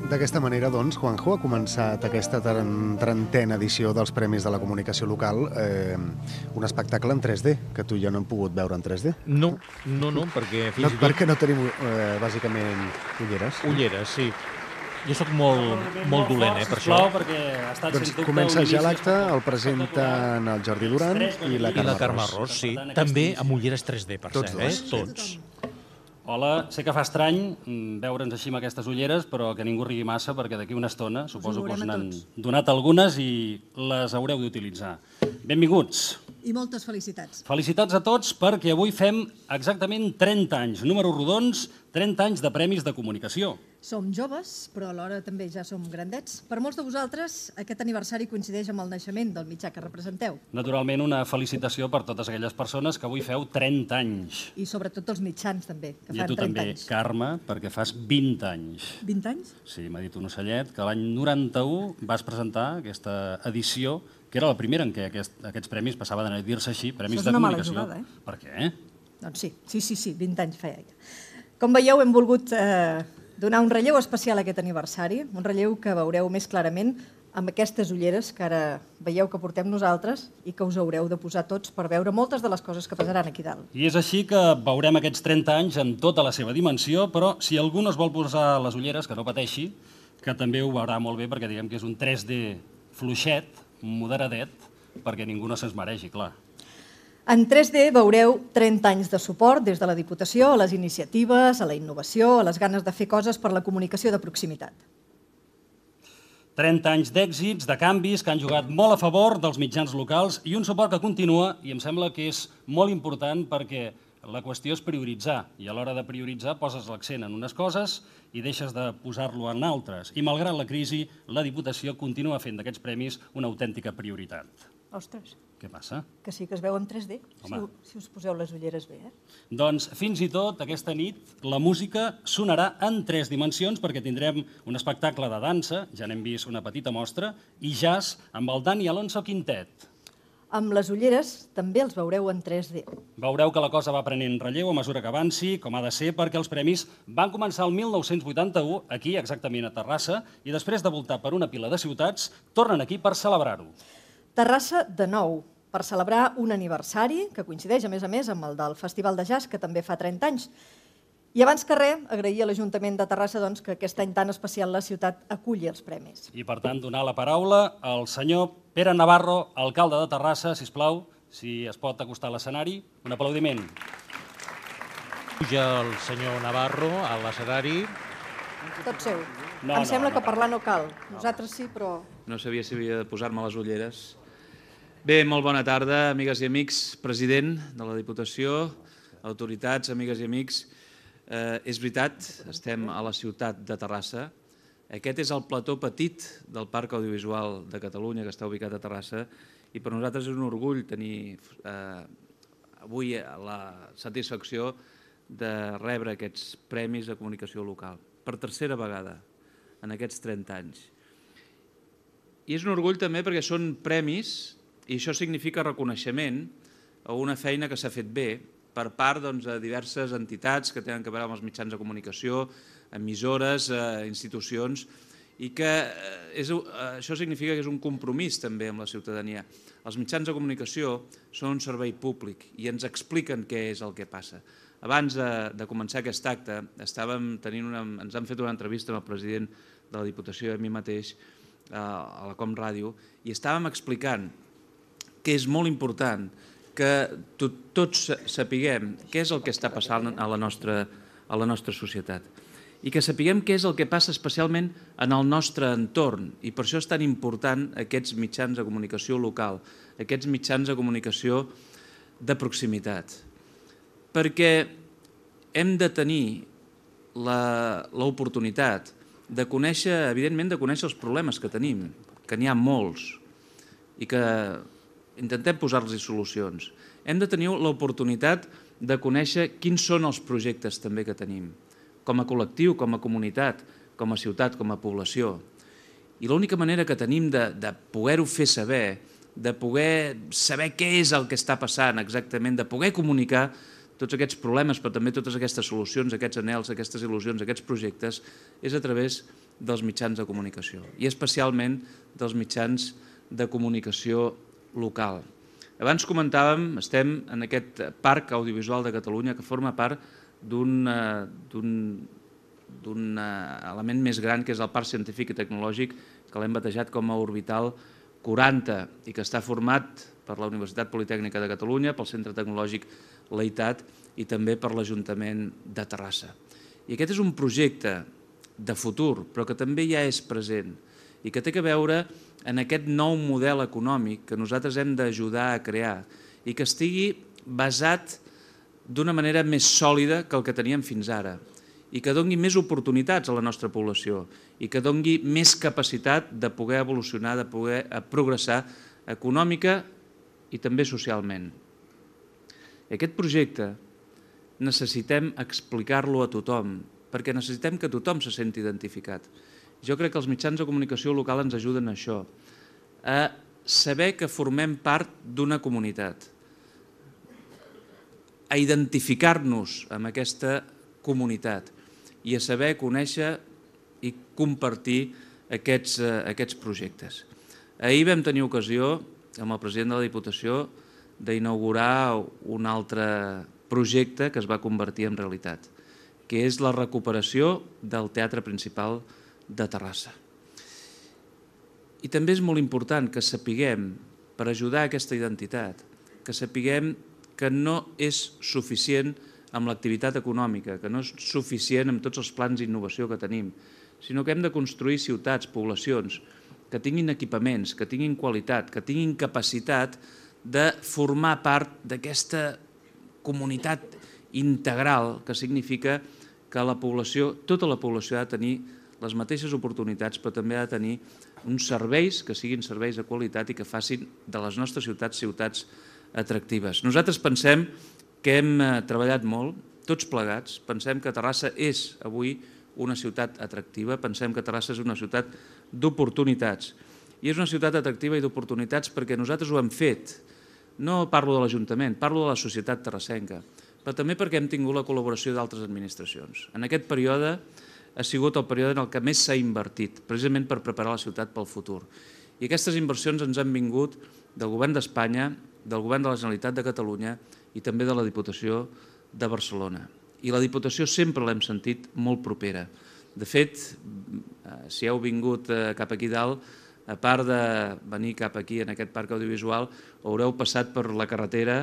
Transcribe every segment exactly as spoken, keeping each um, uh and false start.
D'aquesta manera, doncs, Juanjo, ha començat aquesta trentena edició dels Premis de la Comunicació Local, eh, un espectacle en tres D, que tu i jo no hem pogut veure en tres D. No, no, no, perquè fins no, i tot... Perquè no tenim, eh, bàsicament, ulleres. Ulleres, sí. Jo sóc molt, molt dolent, eh, per això. Doncs comença ja l'acte, el presenten el Jordi Duran i la Carme, I la Carme Ros, sí. També amb ulleres tres D, per Tots cert, eh? dos. Tots. Hola, sé que fa estrany veure'ns així amb aquestes ulleres, però que ningú rigui massa, perquè d'aquí una estona suposo que us n'han donat algunes i les haureu d'utilitzar. Benvinguts. I moltes felicitats. Felicitats a tots perquè avui fem exactament trenta anys, números rodons, trenta anys de Premis de Comunicació. Som joves, però alhora també ja som grandets. Per molts de vosaltres, aquest aniversari coincideix amb el naixement del mitjà que representeu. Naturalment, una felicitació per totes aquelles persones que avui feu trenta anys. I sobretot els mitjans, també, que I a fan tu trenta també, anys. Carme, perquè fas vint anys. vint anys? Sí, m'ha dit un ocellet que l'any noranta-u vas presentar aquesta edició, que era la primera en què aquest, aquests premis passaven a dir-se així, Premis Això és de una mala Comunicació. jugada, eh? Per què? Doncs sí, sí, sí, sí, vint anys feia ja. Com veieu, hem volgut eh, donar un relleu especial a aquest aniversari, un relleu que veureu més clarament amb aquestes ulleres que ara veieu que portem nosaltres i que us haureu de posar tots per veure moltes de les coses que passaran aquí dalt. I és així que veurem aquests trenta anys en tota la seva dimensió, però si algú no es vol posar les ulleres, que no pateixi, que també ho veurà molt bé, perquè diguem que és un tres D fluixet, moderadet, perquè ningú no se'ns mereixi, clar. En tres D veureu trenta anys de suport des de la Diputació a les iniciatives, a la innovació, a les ganes de fer coses per la comunicació de proximitat. trenta anys d'èxits, de canvis que han jugat molt a favor dels mitjans locals i un suport que continua i em sembla que és molt important perquè la qüestió és prioritzar i a l'hora de prioritzar poses l'accent en unes coses i deixes de posar-lo en altres. I malgrat la crisi, la Diputació continua fent d'aquests premis una autèntica prioritat. Ostres, Què passa? que sí que es veu en tres D, si, Home. si us poseu les ulleres bé, eh? Doncs fins i tot aquesta nit la música sonarà en tres dimensions perquè tindrem un espectacle de dansa, ja n'hem vist una petita mostra, i jazz amb el Dani Alonso Quintet. Amb les ulleres també els veureu en tres D. Veureu que la cosa va prenent relleu a mesura que avanci, com ha de ser, perquè els premis van començar el mil nou-cents vuitanta-u, aquí exactament a Terrassa, i després de voltar per una pila de ciutats, tornen aquí per celebrar-ho. Terrassa, de nou, per celebrar un aniversari que coincideix, a més a més, amb el del Festival de Jazz, que també fa trenta anys. I abans que res, agrair a l'Ajuntament de Terrassa doncs, que aquest any tan especial la ciutat aculli els premis. I, per tant, donar la paraula al senyor Pere Navarro, alcalde de Terrassa, sisplau, si es pot acostar a l'escenari. Un aplaudiment. Puja el senyor Navarro a l'escenari. Tot seu. No, em no, sembla no, que no. parlar no cal. Nosaltres sí, però... No sabia si havia de posar-me les ulleres. Bé, molt bona tarda, amigues i amics, president de la Diputació, autoritats, amigues i amics. Eh, és veritat, estem a la ciutat de Terrassa. Aquest és el plató petit del Parc Audiovisual de Catalunya, que està ubicat a Terrassa, i per nosaltres és un orgull tenir eh, avui la satisfacció de rebre aquests premis de comunicació local, per tercera vegada en aquests trenta anys. I és un orgull també perquè són premis, i això significa reconeixement a una feina que s'ha fet bé per part doncs, de diverses entitats que tenen a veure amb els mitjans de comunicació, emissores, eh, institucions, i que eh, és, eh, això significa que és un compromís també amb la ciutadania. Els mitjans de comunicació són un servei públic i ens expliquen què és el que passa. Abans de, de començar aquest acte, estàvem tenint una, ens han fet una entrevista amb el president de la Diputació i a mi mateix, eh, a la Com Ràdio, i estàvem explicant que és molt important que tots sapiguem què és el que està passant a la nostra, a la nostra societat i que sapiguem què és el que passa especialment en el nostre entorn. I per això és tan important aquests mitjans de comunicació local, aquests mitjans de comunicació de proximitat. Perquè hem de tenir l'oportunitat de conèixer, evidentment, de conèixer els problemes que tenim, que n'hi ha molts, i que intentem posar-los solucions. Hem de tenir l'oportunitat de conèixer quins són els projectes també que tenim, com a col·lectiu, com a comunitat, com a ciutat, com a població. I l'única manera que tenim de, de poder-ho fer saber, de poder saber què és el que està passant exactament, de poder comunicar, tots aquests problemes, però també totes aquestes solucions, aquests anhels, aquestes il·lusions, aquests projectes, és a través dels mitjans de comunicació, i especialment dels mitjans de comunicació local. Abans comentàvem, estem en aquest parc audiovisual de Catalunya que forma part d'un element més gran, que és el Parc Científic i Tecnològic, que l'hem batejat com a Orbital quaranta i que està format per la Universitat Politècnica de Catalunya, pel Centre Tecnològic Leitat i també per l'Ajuntament de Terrassa. I aquest és un projecte de futur, però que també ja és present i que té a veure en aquest nou model econòmic que nosaltres hem d'ajudar a crear i que estigui basat d'una manera més sòlida que el que teníem fins ara i que doni més oportunitats a la nostra població i que doni més capacitat de poder evolucionar, de poder progressar econòmica i també socialment. Aquest projecte necessitem explicar-lo a tothom, perquè necessitem que tothom se senti identificat. Jo crec que els mitjans de comunicació local ens ajuden a això, a saber que formem part d'una comunitat, a identificar-nos amb aquesta comunitat i a saber conèixer i compartir aquests, aquests projectes. Ahir vam tenir ocasió, amb el president de la Diputació, d'inaugurar un altre projecte que es va convertir en realitat, que és la recuperació del Teatre Principal de Terrassa. I també és molt important que sapiguem, per ajudar a aquesta identitat, que sapiguem que no és suficient amb l'activitat econòmica, que no és suficient amb tots els plans d'innovació que tenim, sinó que hem de construir ciutats, poblacions, que tinguin equipaments, que tinguin qualitat, que tinguin capacitat de formar part d'aquesta comunitat integral que significa que la població, tota la població ha de tenir les mateixes oportunitats, però també ha de tenir uns serveis que siguin serveis de qualitat i que facin de les nostres ciutats ciutats atractives. Nosaltres pensem que hem treballat molt, tots plegats, pensem que Terrassa és avui una ciutat atractiva, pensem que Terrassa és una ciutat d'oportunitats. I és una ciutat atractiva i d'oportunitats perquè nosaltres ho hem fet. No parlo de l'Ajuntament, parlo de la societat terrassenca, però també perquè hem tingut la col·laboració d'altres administracions. En aquest període ha sigut el període en el que més s'ha invertit, precisament per preparar la ciutat pel futur. I aquestes inversions ens han vingut del Govern d'Espanya, del Govern de la Generalitat de Catalunya i també de la Diputació de Barcelona. I la Diputació sempre l'hem sentit molt propera. De fet, si heu vingut cap aquí dalt, a part de venir cap aquí en aquest parc audiovisual, haureu passat per la carretera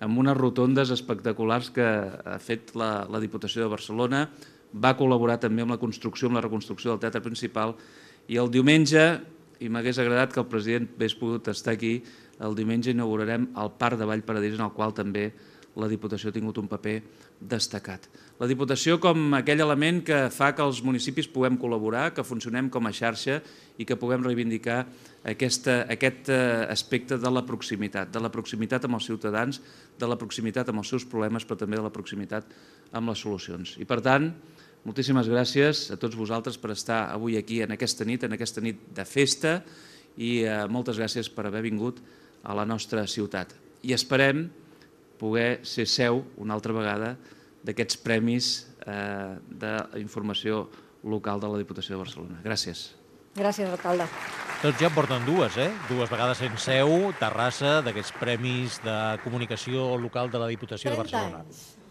amb unes rotondes espectaculars que ha fet la, la Diputació de Barcelona, va col·laborar també amb la construcció, amb la reconstrucció del Teatre Principal, i el diumenge, i m'hagués agradat que el president hagués pogut estar aquí, el diumenge inaugurarem el Parc de Vallparadís, en el qual també la Diputació ha tingut un paper destacat. La Diputació com aquell element que fa que els municipis puguem col·laborar, que funcionem com a xarxa i que puguem reivindicar aquesta, aquest aspecte de la proximitat, de la proximitat amb els ciutadans, de la proximitat amb els seus problemes, però també de la proximitat amb les solucions. I per tant, moltíssimes gràcies a tots vosaltres per estar avui aquí en aquesta nit, en aquesta nit de festa, i moltes gràcies per haver vingut a la nostra ciutat. I esperem poder ser seu una altra vegada d'aquests premis d'informació local de la Diputació de Barcelona. Gràcies. Gràcies, alcalde. Tots ja en porten dues, eh? Dues vegades en seu, Terrassa, d'aquests premis de comunicació local de la Diputació de Barcelona. trenta anys.